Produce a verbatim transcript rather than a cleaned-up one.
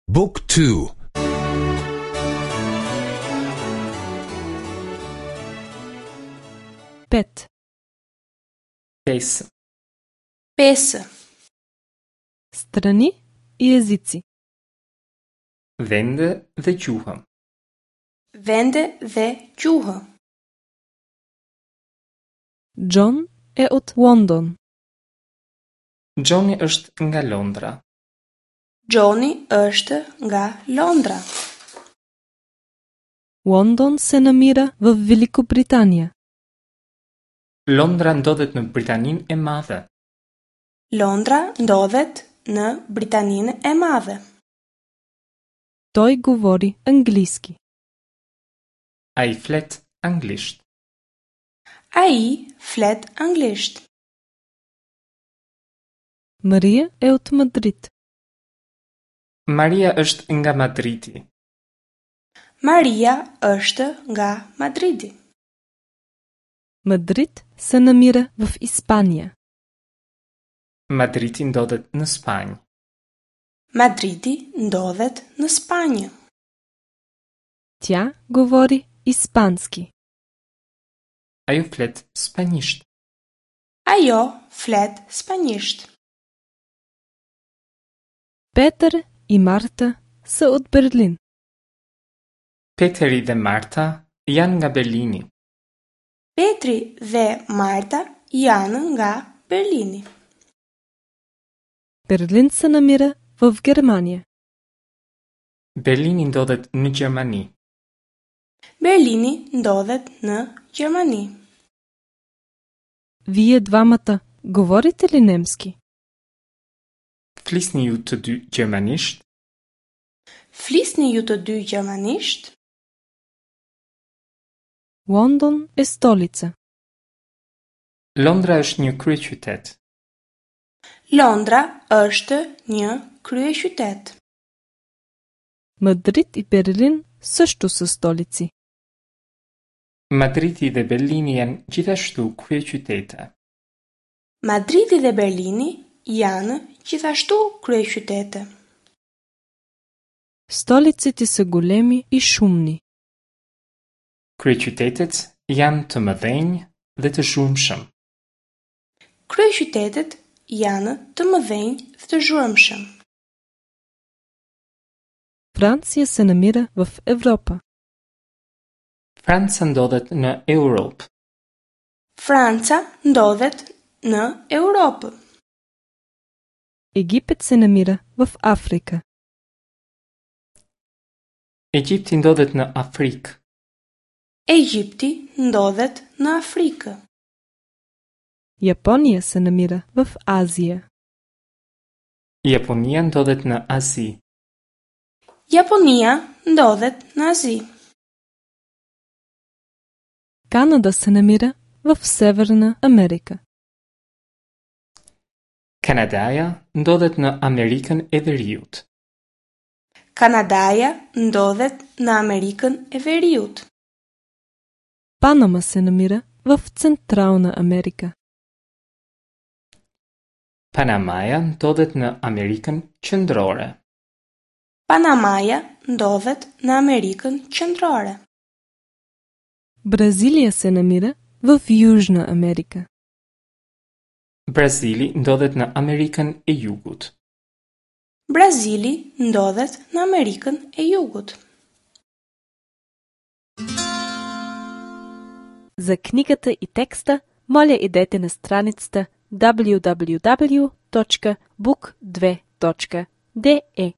Book two. Pet. Pesë. Pesë. Страни и езици. Vende dhe gjuhë. Vende dhe gjuhë. Джон е от Лондон. Johni është nga Londra. Johni është nga Londra. Лондон се намира в Великобритания. Londra ndodhet në Britaninë e Madhe. Londra ndodhet në Britaninë e Madhe. Той говори английски. Ai flet anglisht. Ai flet anglisht. Мария е от Мадрид. Maria është nga Madridi. Maria është nga Madridi. Мадрид се намира в Испания. Madridi ndodhet në Spanjë. Madridi ndodhet në Spanjë. Тя говори испански. Ajo flet spanjisht. Ajo flet spanjisht. Петър и Марта са от Берлин. Peteri dhe Marta janë nga Berlini. Petri dhe Marta janë nga Berlini. Берлин се намира в Германия. Berlini ndodhet në Gjermani. Berlini ndodhet në Gjermani. Вие двамата говорите ли немски? Flisni ju të dy gjermanisht? Flisni ju të dy gjermanisht? Лондон е столица. Londra është një kryeqytet. Londra është një kryeqytet. Мадрид и Берлин също са столици. Madridi dhe Berlini janë gjithashtu kryeqytete. Madridi dhe Berlini janë gjithashtu kryeqytete. Столиците са големи и шумни. Kryeqytetet janë të mëdhenj dhe të zhurmshëm. Kryeqytetet janë të mëdhenj dhe të zhurmshëm. Франция се намира в Европа. Franca ndodhet në Europë. Franca ndodhet në Europë. Египет се намира в Африка. Egjipti ndodhet në Afrikë. Egjipti ndodhet në Afrikë. Япония се намира в Азия. Japonia ndodhet në Azi. Japonia ndodhet në Azi. Канада се намира в Северна Америка. Kanadaja ndodhet në Amerikën e Veriut. Kanadaja ndodhet në Amerikën e Veriut. Панама се намира в Централна Америка. Panamaja ndodhet në Amerikën Qendrore. Panamaja ndodhet në Amerikën Qendrore. Бразилия се намира в Южна Америка. Brazili ndodhet në Amerikën e Jugut. Brazili ndodhet në Amerikën e Jugut. За книгата и текста, моля идете на страницата w w w точка book две точка d e.